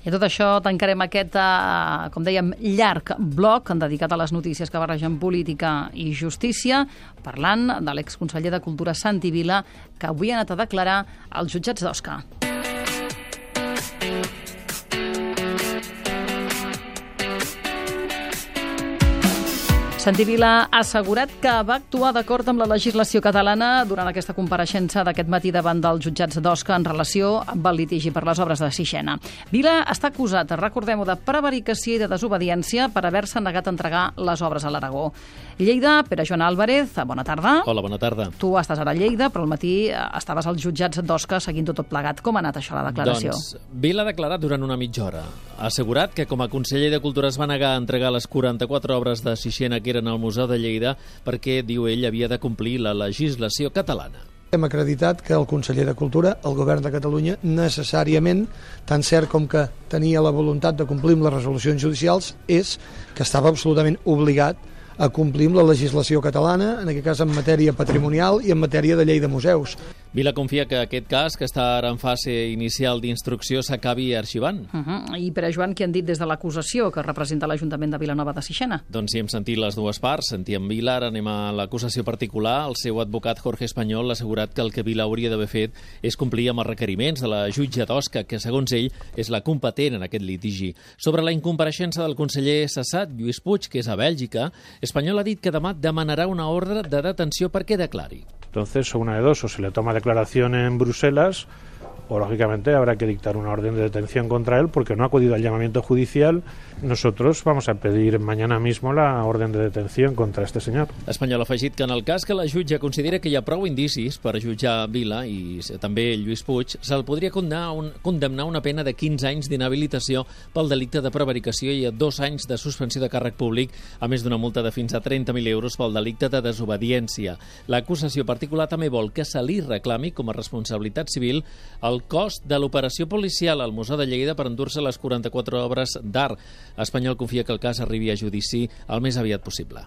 I tot això tancarem aquest, com dèiem, llarg bloc dedicat a les notícies que barregen política i justícia, parlant de l'exconseller de Cultura Santi Vila, que avui ha anat a declarar als jutjats d'Osca. Santi Vila ha assegurat que va actuar d'acord amb la legislació catalana durant aquesta compareixença d'aquest matí davant dels jutjats d'Osca en relació amb el litigi per les obres de Sixena. Vila està acusat, recordem-ho, de prevaricació i de desobediència per haver-se negat a entregar les obres a l'Aragó. Lleida, Pere Joan Álvarez, bona tarda. Hola, bona tarda. Tu estàs ara a Lleida, però al matí estaves als jutjats d'Osca seguint tot plegat. Com ha anat això, la declaració? Doncs Vila ha declarat durant una mitja hora. Ha assegurat que com a conseller de Cultura es va negar a entregar les 44 obres de Sixena que eren al Museu de Lleida perquè, diu ell, havia de complir la legislació catalana. Hem acreditat que el conseller de Cultura, el govern de Catalunya, necessàriament, tan cert com que tenia la voluntat de complir amb les resolucions judicials, és que estava absolutament obligat a complir amb la legislació catalana, en aquest cas en matèria patrimonial i en matèria de llei de museus. Vila confia que aquest cas, que està ara en fase inicial d'instrucció, s'acabi arxivant. I Pere Joan, què han dit des de l'acusació que representa l'Ajuntament de Vilanova de Sixena? Doncs sí, hem sentit les dues parts. Sentíem Vila, ara anem a l'acusació particular. El seu advocat Jorge Español ha assegurat que el que Vila hauria d'haver fet és complir amb els requeriments de la jutge d'Osca, que segons ell és la competent en aquest litigi. Sobre la incompareixença del conseller cessat, Lluís Puig, que és a Bèlgica, Español ha dit que demà demanarà una ordre de detenció perquè declari. Entonces, o una de dos, o se le toma declaración en Bruselas, o lógicamente habrá que dictar una orden de detención contra él porque no ha acudido al llamamiento judicial. Nosotros vamos a pedir mañana mismo la orden de detención contra este señor. Espanyol ha afegit que en el cas que la jutge considera que hi ha prou indicis per jutjar Vila i també Lluís Puig, se'l podria condemnar una pena de 15 anys d'inhabilitació pel delicte de prevaricació i a 2 anys de suspensió de càrrec públic, a més d'una multa de fins a 30.000 euros pel delicte de desobediència. L'acusació particular també vol que se li reclami com a responsabilitat civil el cost de l'operació policial al Museu de Lleida per endur-se les 44 obres d'art. Espanyol confia que el cas arribi a judici el més aviat possible.